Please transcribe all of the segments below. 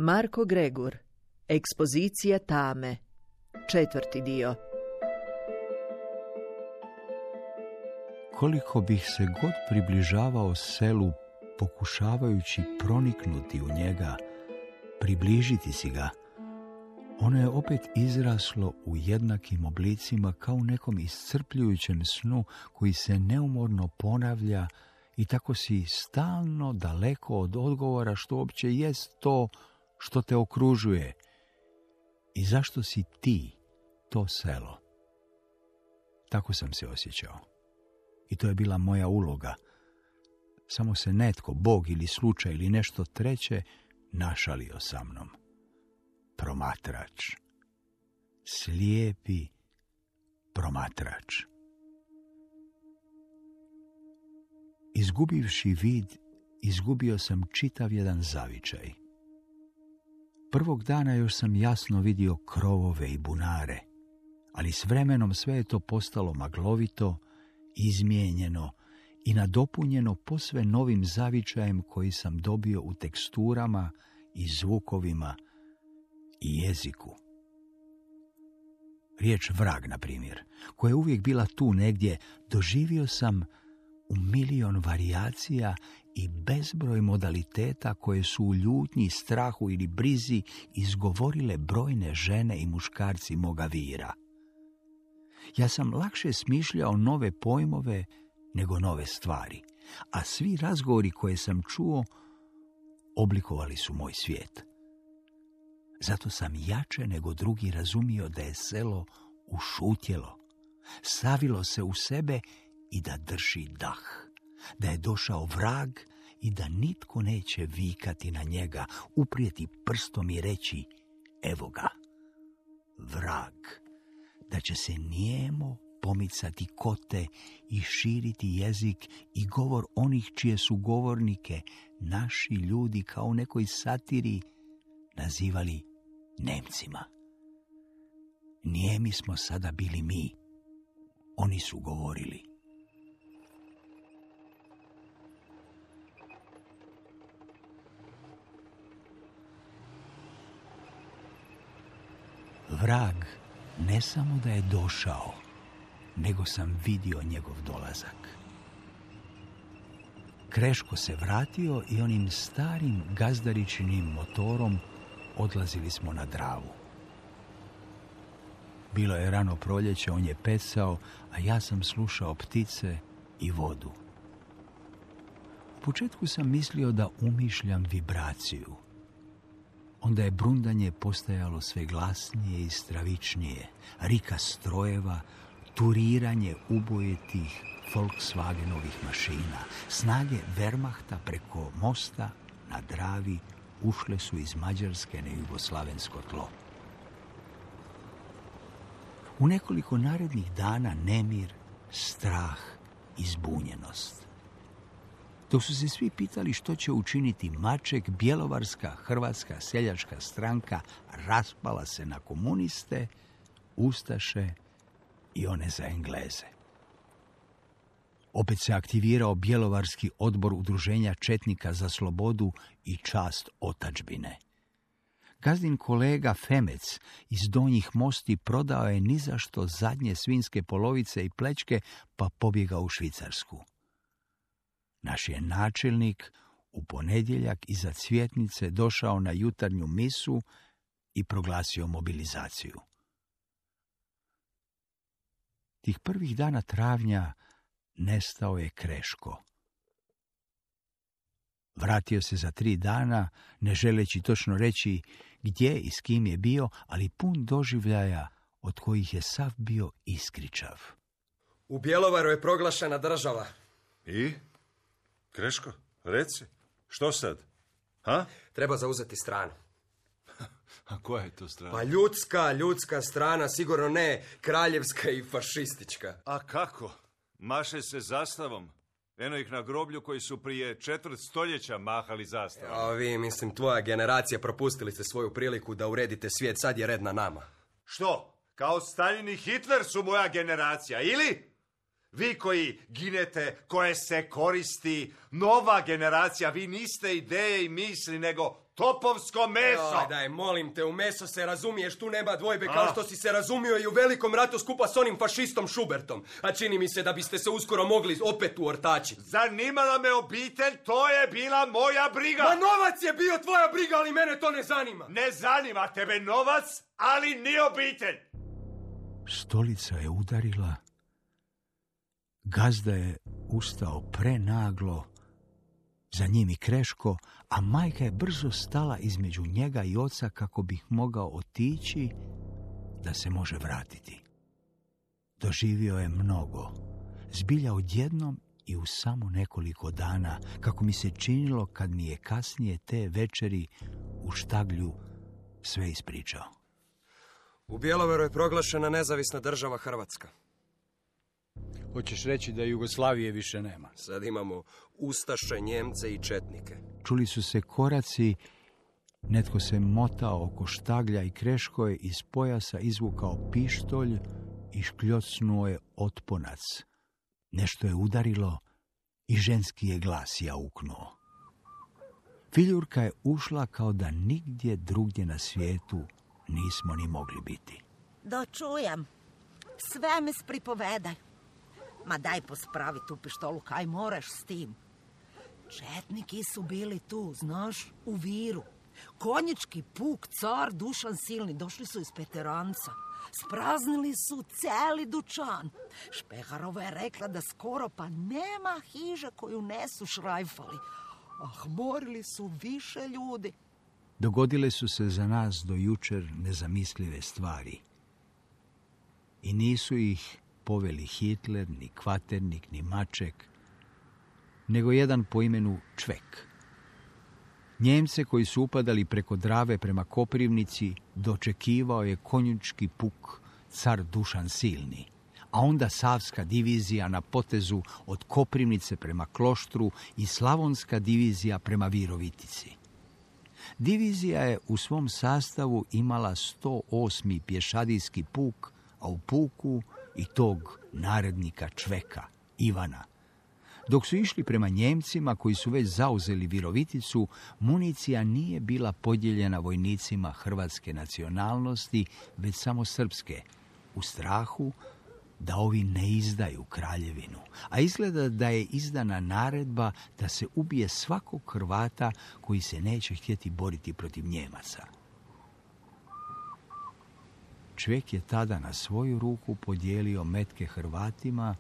Marko Gregur, Ekspozicija tame, 4. dio. Koliko bih se god približavao selu, pokušavajući proniknuti u njega, približiti si ga, ono je opet izraslo u jednakim oblicima kao u nekom iscrpljujućem snu koji se neumorno ponavlja i tako si stalno daleko od odgovora što uopće jest to što te okružuje i zašto si ti to selo. Tako sam se osjećao. I to je bila moja uloga. Samo se netko, Bog ili slučaj ili nešto treće, našalio sa mnom. Promatrač. Slijepi promatrač. Izgubivši vid, izgubio sam čitav jedan zavičaj. Prvog dana još sam jasno vidio krovove i bunare, ali s vremenom sve je to postalo maglovito, izmijenjeno i nadopunjeno posve novim zavičajem koji sam dobio u teksturama i zvukovima i jeziku. Riječ vrag, na primjer, koja je uvijek bila tu negdje, doživio sam u milion varijacija i bezbroj modaliteta koje su u ljutnji, strahu ili brizi izgovorile brojne žene i muškarci moga vira. Ja sam lakše smišljao nove pojmove nego nove stvari, a svi razgovori koje sam čuo oblikovali su moj svijet. Zato sam jače nego drugi razumio da je selo ušutjelo, savilo se u sebe i da drži dah, da je došao vrag i da nitko neće vikati na njega, uprijeti prstom i reći evo ga, vrag, da će se nijemo pomicati kote i širiti jezik i govor onih čije su govornike naši ljudi kao u nekoj satiri nazivali Nemcima. Nijemi smo sada bili mi, oni su govorili. Vrag ne samo da je došao, nego sam vidio njegov dolazak. Kreško se vratio i onim starim gazdaričinim motorom odlazili smo na Dravu. Bilo je rano proljeće, on je pecao, a ja sam slušao ptice i vodu. U početku sam mislio da umišljam vibraciju. Onda je brundanje postajalo sve glasnije i stravičnije, rika strojeva, turiranje ubojetih Volkswagenovih mašina. Snage Wehrmachta preko mosta na Dravi ušle su iz Mađarske na jugoslavensko tlo. U nekoliko narednih dana nemir, strah i zbunjenost. Dok su se svi pitali što će učiniti Maček, Bjelovarska hrvatska seljačka stranka raspala se na komuniste, ustaše i one za Engleze. Opet se aktivirao Bjelovarski odbor udruženja četnika za slobodu i čast otadžbine. Gazdin kolega Femec iz Donjih Mosti prodao je nizašto zadnje svinjske polovice i plećke pa pobjegao u Švicarsku. Naš je načelnik u ponedjeljak iza Cvjetnice došao na jutarnju misu i proglasio mobilizaciju. Tih prvih dana travnja nestao je Kreško. Vratio se za 3 dana, ne želeći točno reći gdje i s kim je bio, ali pun doživljaja od kojih je sav bio iskričav. U Bjelovaru je proglašena država. I? Kreško, reci, što sad? Ha? Treba zauzeti stranu. A koja je to strana? Pa ljudska strana, sigurno ne kraljevska i fašistička. A kako? Maše se zastavom. Eno ih na groblju koji su prije 4 stoljeća mahali zastavom. A vi, mislim, tvoja generacija, propustili ste svoju priliku da uredite svijet, sad je red na nama. Što? Kao Stalin i Hitler su moja generacija, ili? Vi koji ginete, koje se koristi, nova generacija, vi niste ideje i misli, nego topovsko meso. Daj, molim te, u meso se razumiješ, tu nema dvojbe, kao što si se razumio i u Velikom ratu skupa s onim fašistom Šubertom. A čini mi se da biste se uskoro mogli opet uortači. Zanimala me obitelj, to je bila moja briga. Ma novac je bio tvoja briga, ali mene to ne zanima. Ne zanima tebe novac, ali ni obitelj. Stolica je udarila. Gazda je ustao prenaglo, za njim i Kreško, a majka je brzo stala između njega i oca kako bi mogao otići da se može vratiti. Doživio je mnogo, zbilja odjednom i u samo nekoliko dana, kako mi se činilo kad mi je kasnije te večeri u štaglju sve ispričao. U Bjelovaru je proglašena nezavisna država Hrvatska. Hoćeš reći da Jugoslavije više nema? Sad imamo ustaše, Njemce i četnike. Čuli su se koraci, netko se motao oko štaglja i Kreško je iz pojasa izvukao pištolj i škljocnuo je otponac. Nešto je udarilo i ženski je glas jauknuo. Filjurka je ušla kao da nigdje drugdje na svijetu nismo ni mogli biti. Dočujem. Sve mi pripovedaj. Ma daj pospravi tu pištolu, kaj moraš s tim. Četniki su bili tu, znaš, u Viru. Konjički puk, car, Dušan Silni, došli su iz Peteranca. Spraznili su celi dućan. Špeharova je rekla da skoro pa nema hiže koju nesu šrajfali. Ah, morili su više ljudi. Dogodile su se za nas do jučer nezamislive stvari. I nisu ih poveli Hitler, ni Kvaternik, ni Maček, nego jedan po imenu Čvek. Njemce koji su upadali preko Drave prema Koprivnici dočekivao je konjički puk, car Dušan Silni, a onda Savska divizija na potezu od Koprivnice prema Kloštru i Slavonska divizija prema Virovitici. Divizija je u svom sastavu imala 108. pješadijski puk, a u puku i tog narednika Čveka, Ivana. Dok su išli prema Njemcima koji su već zauzeli Viroviticu, municija nije bila podijeljena vojnicima hrvatske nacionalnosti, već samo srpske, u strahu da ovi ne izdaju kraljevinu, a izgleda da je izdana naredba da se ubije svakog Hrvata koji se neće htjeti boriti protiv Njemaca. Čvek je tada na svoju ruku podijelio metke Hrvatima,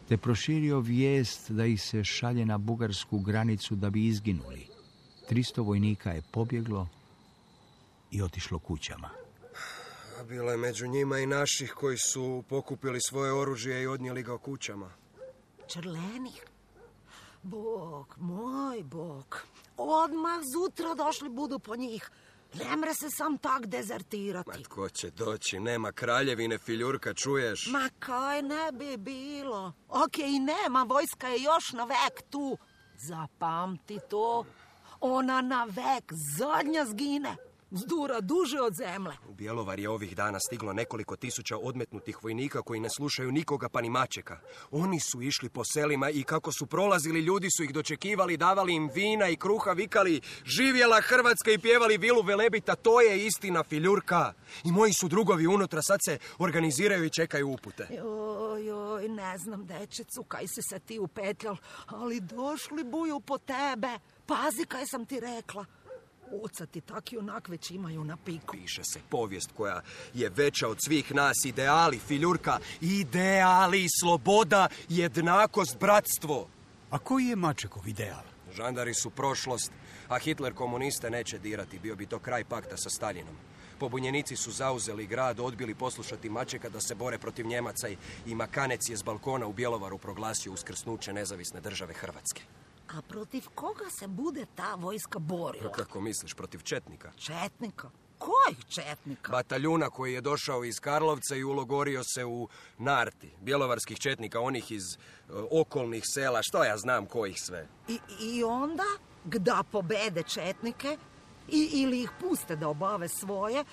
te proširio vijest da ih se šalje na bugarsku granicu da bi izginuli. 300 vojnika je pobjeglo i otišlo kućama. A bilo je među njima i naših koji su pokupili svoje oružje i odnijeli ga kućama. Črlenih? Bog, moj Bog. Odmah zutra došli budu po njih. Ne mre se sam tak dezertirati. Ma tko će doći? Nema kraljevine, Filjurka, čuješ? Ma kaj ne bi bilo. Okej, i nema, vojska je još na vek tu. Zapamti to. Ona na vek zadnja zgine. Zdura duže od zemlje. U Bjelovar je ovih dana stiglo nekoliko tisuća odmetnutih vojnika koji ne slušaju nikoga pa ni Mačeka. Oni su išli po selima i kako su prolazili, ljudi su ih dočekivali, davali im vina i kruha, vikali živjela Hrvatska i pjevali Vilu Velebita. To je istina, Filjurka. I moji su drugovi unutra, sad se organiziraju i čekaju upute. Joj, ne znam, dečecu, kaj si se ti upetljal, ali došli buju po tebe. Pazi kaj sam ti rekla. Oca ti tak i onak već imaju na piku. Piše se povijest koja je veća od svih nas. Ideali, Filjurka. Ideali, sloboda, jednakost, bratstvo. A koji je Mačekov ideal? Žandari su prošlost, a Hitler komuniste neće dirati. Bio bi to kraj pakta sa Staljinom. Pobunjenici su zauzeli grad, odbili poslušati Mačeka da se bore protiv Njemaca i Makanec je s balkona u Bjelovaru proglasio uskrsnuće nezavisne države Hrvatske. A protiv koga se bude ta vojska borila? Kako misliš, protiv četnika? Četnika? Kojih četnika? Bataljuna koji je došao iz Karlovca i ulogorio se u Narti. Bjelovarskih četnika, onih iz okolnih sela, što ja znam kojih sve. I onda, gda pobede četnike, ili ih puste da obave svoje,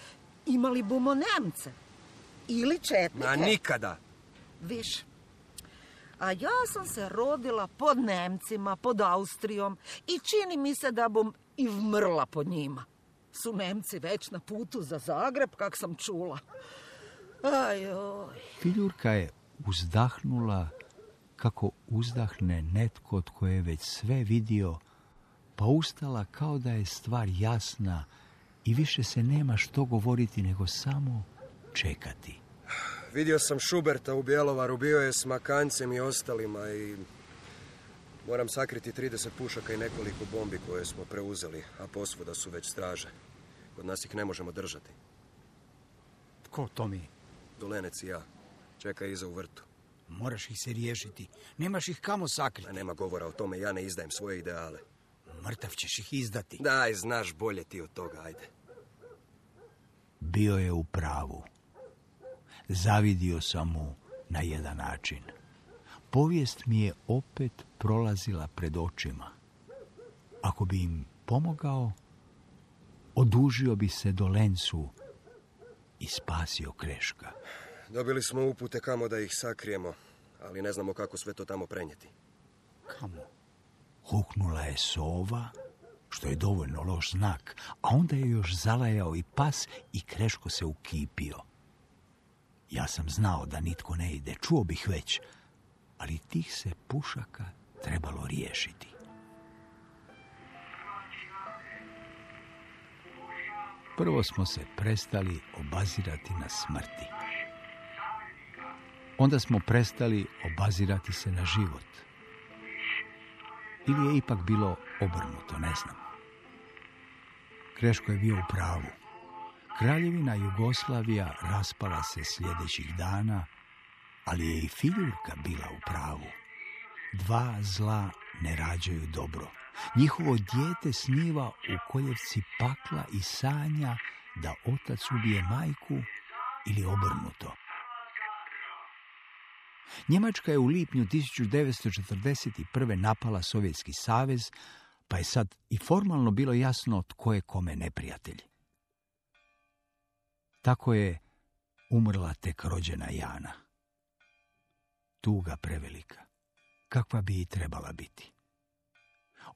imali bumo Nemce. Ili četnike. Ma nikada. Viš, A ja sam se rodila pod Nemcima, pod Austrijom i čini mi se da bom i vmrla pod njima. Su Nemci već na putu za Zagreb, kak sam čula. Ajoj. Filjurka je uzdahnula kako uzdahne netko od koje je već sve vidio, pa ustala kao da je stvar jasna i više se nema što govoriti nego samo čekati. Vidio sam Šuberta u Bjelovaru, bio je s Makancem i ostalima i moram sakriti 30 pušaka i nekoliko bombi koje smo preuzeli, a posvuda su već straže. Kod nas ih ne možemo držati. Tko to mi? Dolenec i ja. Čeka iza u vrtu. Moraš ih se riješiti. Nemaš ih kamo sakriti. A nema govora o tome, ja ne izdajem svoje ideale. Mrtav ćeš ih izdati. Daj, znaš bolje ti od toga, ajde. Bio je u pravu. Zavidio sam mu na jedan način. Povijest mi je opet prolazila pred očima. Ako bi im pomogao, odužio bi se Dolencu i spasio Kreška. Dobili smo upute kamo da ih sakrijemo, ali ne znamo kako sve to tamo prenijeti. Kamo? Huknula je sova, što je dovoljno loš znak, a onda je još zalajao i pas i Kreško se ukipio. Ja sam znao da nitko ne ide, čuo bih već, ali tih se pušaka trebalo riješiti. Prvo smo se prestali obazirati na smrti. Onda smo prestali obazirati se na život. Ili je ipak bilo obrnuto, ne znam. Kreško je bio u pravu. Kraljevina Jugoslavija raspala se sljedećih dana, ali je i Filjurka bila u pravu. Dva zla ne rađaju dobro. Njihovo dijete sniva u koljevci pakla i sanja da otac ubije majku ili obrnuto. Njemačka je u lipnju 1941. napala Sovjetski savez, pa je sad i formalno bilo jasno tko je kome neprijatelj. Tako je umrla tek rođena Jana. Tuga prevelika, kakva bi i trebala biti.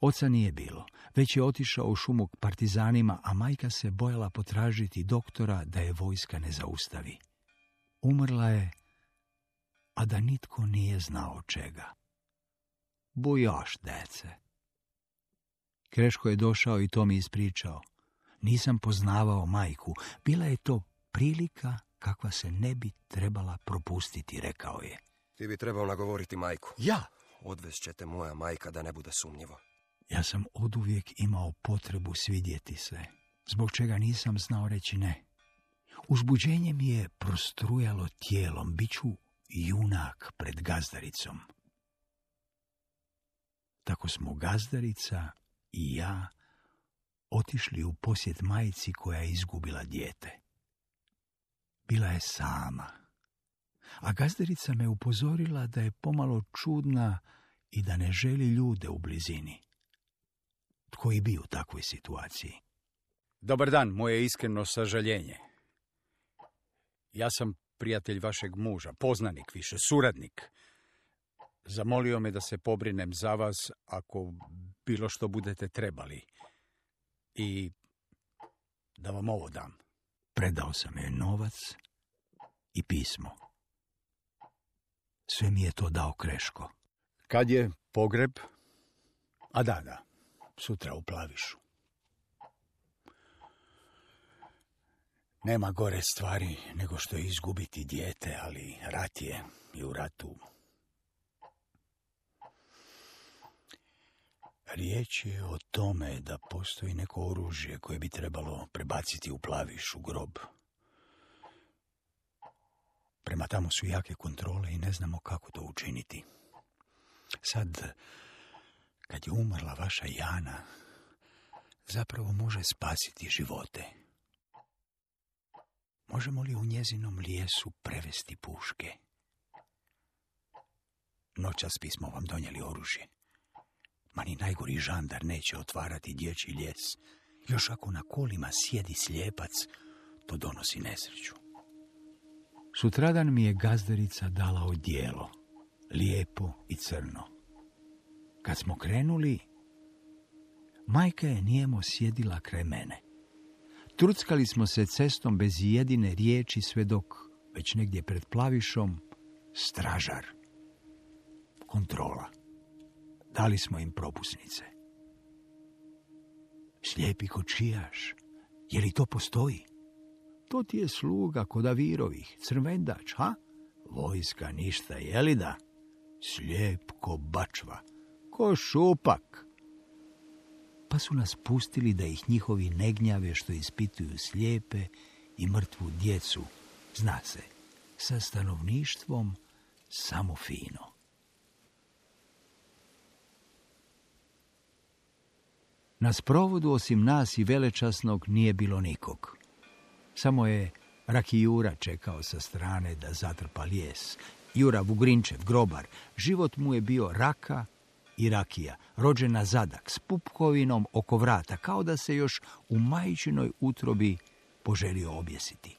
Oca nije bilo, već je otišao u šumu k partizanima, a majka se bojala potražiti doktora da je vojska ne zaustavi. Umrla je, a da nitko nije znao čega. Bujoš, dece. Kreško je došao i to mi ispričao. Nisam poznavao majku, bila je to prilika kakva se ne bi trebala propustiti, rekao je. Ti bi trebao nagovoriti majku. Ja? Odvest će te moja majka da ne bude sumnjivo. Ja sam oduvijek imao potrebu svidjeti se, zbog čega nisam znao reći ne. Uzbuđenje mi je prostrujalo tijelom, bit ću junak pred gazdaricom. Tako smo gazdarica i ja otišli u posjet majci koja je izgubila dijete. Bila je sama, a gazdarica me upozorila da je pomalo čudna i da ne želi ljude u blizini. Tko i bi u takvoj situaciji? Dobar dan, moje iskreno sažaljenje. Ja sam prijatelj vašeg muža, poznanik više, suradnik. Zamolio me da se pobrinem za vas ako bilo što budete trebali. I da vam ovo dam. Predao sam joj novac i pismo. Sve mi je to dao Kreško. Kad je pogreb? A da, sutra u Plavišu. Nema gore stvari nego što je izgubiti dijete, ali rat je i u ratu. Riječ je o tome da postoji neko oružje koje bi trebalo prebaciti u Plaviš, u grob. Prema tamo su jake kontrole i ne znamo kako to učiniti. Sad, kad je umrla vaša Jana, zapravo može spasiti živote. Možemo li u njezinom lijesu prevesti puške? Noćas bismo vam donijeli oružje. Ma ni najgori žandar neće otvarati dječji lijes. Još ako na kolima sjedi slijepac, to donosi nesreću. Sutradan mi je gazdarica dala odijelo. lijepo i crno. Kad smo krenuli, majka je nijemo sjedila kraj mene. Truckali smo se cestom bez jedine riječi sve dok, već negdje pred Plavišom, stražar. Kontrola. Dali smo im propusnice. Slijepi kočijaš, je li to postoji? To ti je sluga kod Avirovih, crvendač, ha? Vojska ništa, je li da? Slijep ko bačva, ko šupak. Pa su nas pustili da ih njihovi ne gnjave što ispituju slijepe i mrtvu djecu, zna se, sa stanovništvom samo fino. Na sprovodu osim nas i velečasnog nije bilo nikog. Samo je Raki Jura čekao sa strane da zatrpa lijes. Jura Vugrinčev, grobar, život mu je bio raka i rakija, rođena zadak, s pupkovinom oko vrata, kao da se još u majčinoj utrobi poželio objesiti.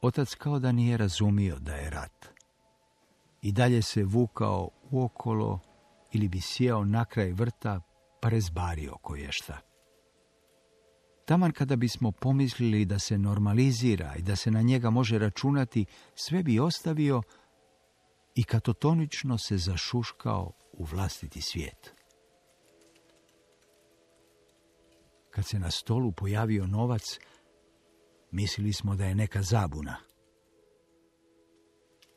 Otac kao da nije razumio da je rat. I dalje se vukao uokolo ili bi sjeo na kraj vrta pa rezbario koješta. Taman kada bismo pomislili da se normalizira i da se na njega može računati, sve bi ostavio i katotonično se zašuškao u vlastiti svijet. Kad se na stolu pojavio novac, mislili smo da je neka zabuna.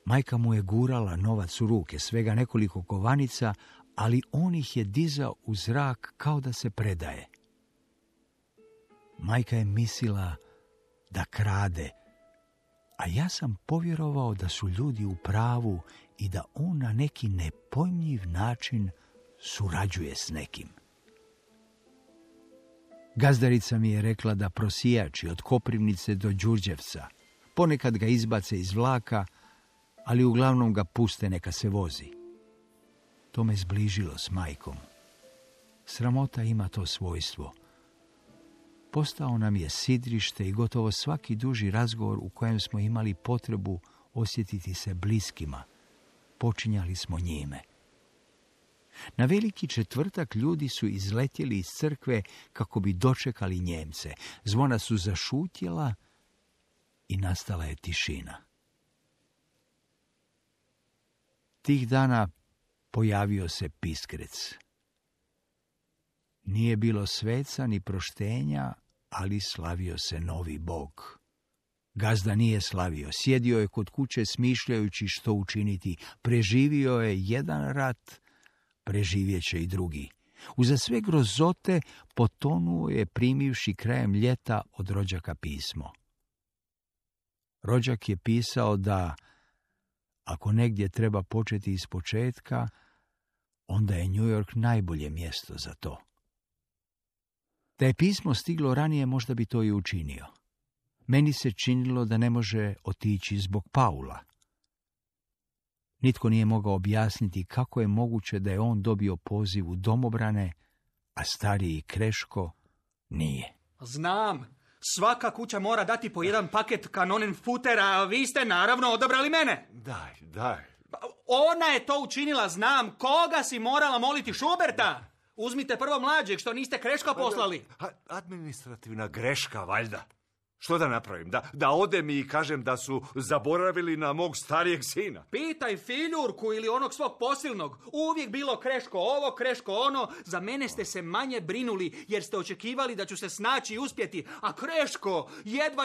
Majka mu je gurala novac u ruke, svega nekoliko kovanica, ali on ih je dizao u zrak kao da se predaje. Majka je mislila da krade, a ja sam povjerovao da su ljudi u pravu i da on na neki nepojmljiv način surađuje s nekim. Gazdarica mi je rekla da prosijači od Koprivnice do Đurđevca ponekad ga izbace iz vlaka, ali uglavnom ga puste neka se vozi. To me zbližilo s majkom. Sramota ima to svojstvo. Postao nam je sidrište i gotovo svaki duži razgovor u kojem smo imali potrebu osjetiti se bliskima, počinjali smo njime. Na Veliki četvrtak ljudi su izletjeli iz crkve kako bi dočekali Njemce. Zvona su zašutjela i nastala je tišina. Tih dana pojavio se piskrec. Nije bilo sveca ni proštenja, ali slavio se novi Bog. Gazda nije slavio, sjedio je kod kuće smišljajući što učiniti. Preživio je jedan rat, preživjet će i drugi. Uza sve grozote potonuo je primivši krajem ljeta od rođaka pismo. Rođak je pisao da ako negdje treba početi iz početka, onda je New York najbolje mjesto za to. Da je pismo stiglo ranije, možda bi to i učinio. Meni se činilo da ne može otići zbog Paula. Nitko nije mogao objasniti kako je moguće da je on dobio poziv u domobrane, a stariji Kreško nije. Znam, svaka kuća mora dati po jedan paket Kanonenfuttera, a vi ste naravno odabrali mene. Daj. Ona je to učinila, znam. Koga si morala moliti, Šuberta? Uzmite prvo mlađeg, što niste Kreška poslali. Administrativna greška, valjda. Što da napravim? Da odem i kažem da su zaboravili na mog starijeg sina? Pitaj Filjurku ili onog svog posilnog. Uvijek bilo Kreško ovo, Kreško ono. Za mene ste se manje brinuli jer ste očekivali da ću se snaći i uspjeti. A Kreško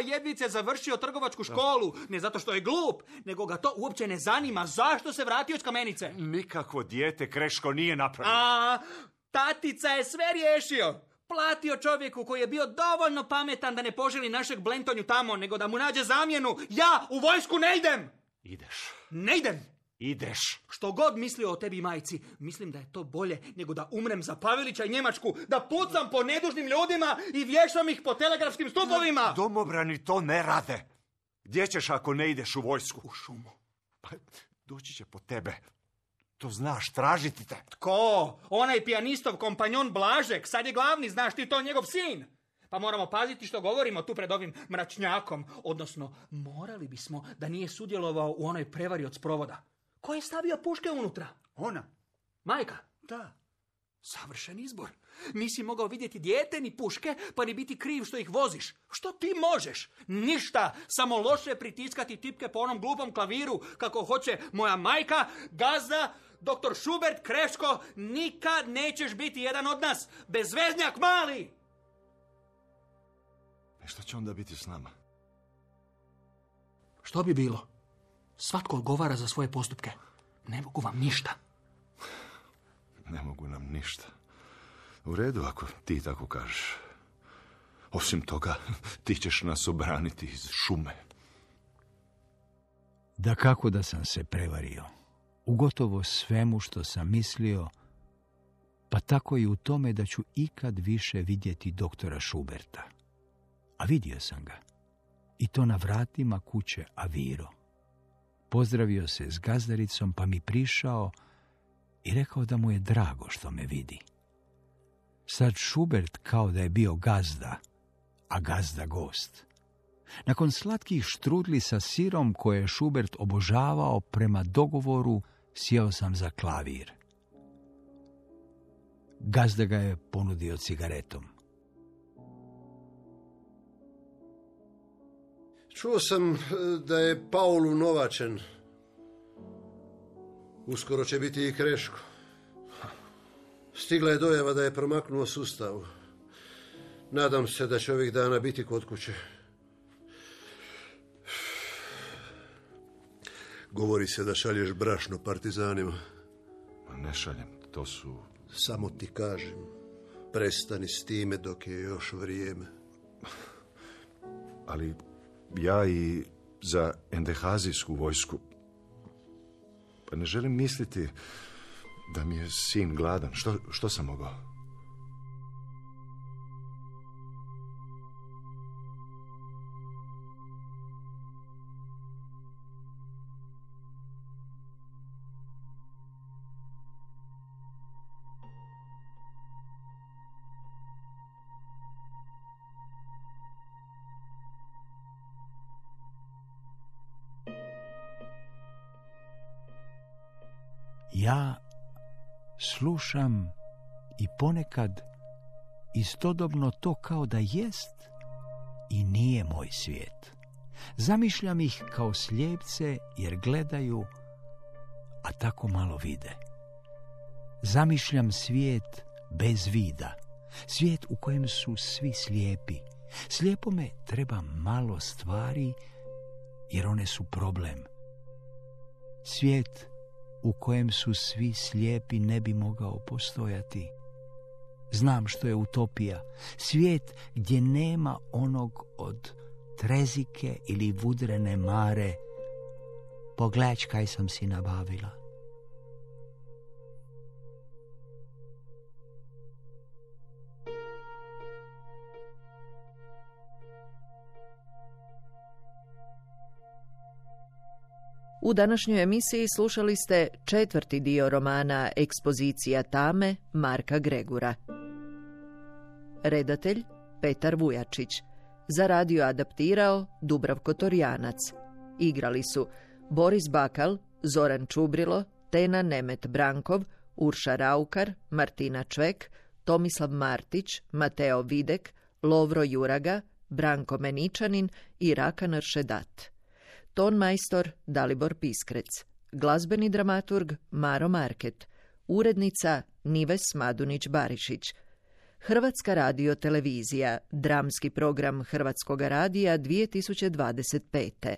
jedvice završio trgovačku školu. Ne zato što je glup, nego ga to uopće ne zanima. Zašto se vratio iz Kamenice? Nikakvo dijete Kreško nije napravio. A, tatica je sve riješio. Platio čovjeku koji je bio dovoljno pametan da ne poželi našeg Blentonju tamo, nego da mu nađe zamjenu. Ja u vojsku ne idem! Ideš. Ne idem! Ideš. Što god mislio o tebi, majci, mislim da je to bolje nego da umrem za Pavelića i Njemačku, da pucam po nedužnim ljudima i vješam ih po telegrafskim stupovima! Domobrani to ne rade. Gdje ćeš ako ne ideš u vojsku? U šumu. Pa, doći će po tebe. To znaš, tražiti te. Tko? Onaj pijanistov kompanjon Blažek, sad je glavni, znaš ti to, njegov sin. Pa moramo paziti što govorimo tu pred ovim mračnjakom. Odnosno, morali bismo da nije sudjelovao u onoj prevari od sprovoda. Ko je stavio puške unutra? Ona. Majka? Da. Savršen izbor. Nisi mogao vidjeti dijete ni puške, pa ni biti kriv što ih voziš. Što ti možeš? Ništa, samo loše pritiskati tipke po onom glupom klaviru, kako hoće moja majka, gazda, doktor Schubert, Kreško. Nikad nećeš biti jedan od nas. Bezveznjak mali! I što će onda biti s nama? Što bi bilo? Svatko odgovara za svoje postupke. Ne mogu vam ništa. Ne mogu nam ništa. U redu, ako ti tako kažeš. Osim toga, ti ćeš nas obraniti iz šume. Da kako da sam se prevario. U gotovo svemu što sam mislio, pa tako i u tome da ću ikad više vidjeti doktora Schuberta. A vidio sam ga. I to na vratima kuće Aviro. Pozdravio se s gazdaricom, pa mi prišao i rekao da mu je drago što me vidi. Sad Schubert kao da je bio gazda, a gazda gost. Nakon slatkih štrudli sa sirom koje je Schubert obožavao, prema dogovoru sjeo sam za klavir. Gazda ga je ponudio cigaretom. Čuo sam da je Paul unovačen. Uskoro će biti i Kreško. Stigla je dojava da je promaknuo sustavu. Nadam se da će ovih dana biti kod kuće. Govori se da šalješ brašno partizanima. Ne šaljem, to su... Samo ti kažem, prestani s time dok je još vrijeme. Ali ja i za endehazijsku vojsku... Pa ne želim misliti da mi je sin gladan. Što sam mogao? Ja slušam i ponekad istodobno to kao da jest i nije moj svijet. Zamišljam ih kao slijepce jer gledaju, a tako malo vide. Zamišljam svijet bez vida, svijet u kojem su svi slijepi. Slijepome treba malo stvari jer one su problem. Svijet u kojem su svi slijepi ne bi mogao postojati. Znam što je utopija. Svijet gdje nema onog od trezike ili vudrene mare. Pogledaj kaj sam si nabavila. U današnjoj emisiji slušali ste 4. dio romana Ekspozicija tame Marka Gregura. Redatelj Petar Vujačić. Za radio adaptirao Dubravko Torjanac. Igrali su Boris Bakal, Zoran Čubrilo, Tena Nemet Brankov, Urša Raukar, Martina Čvek, Tomislav Martić, Mateo Videk, Lovro Juraga, Branko Meničanin i Rakan Ršedat. Tonmajstor Dalibor Piskrec. Glazbeni dramaturg Maro Market. Urednica Nives Madunić-Barišić. Hrvatska radiotelevizija. Dramski program Hrvatskoga radija 2025.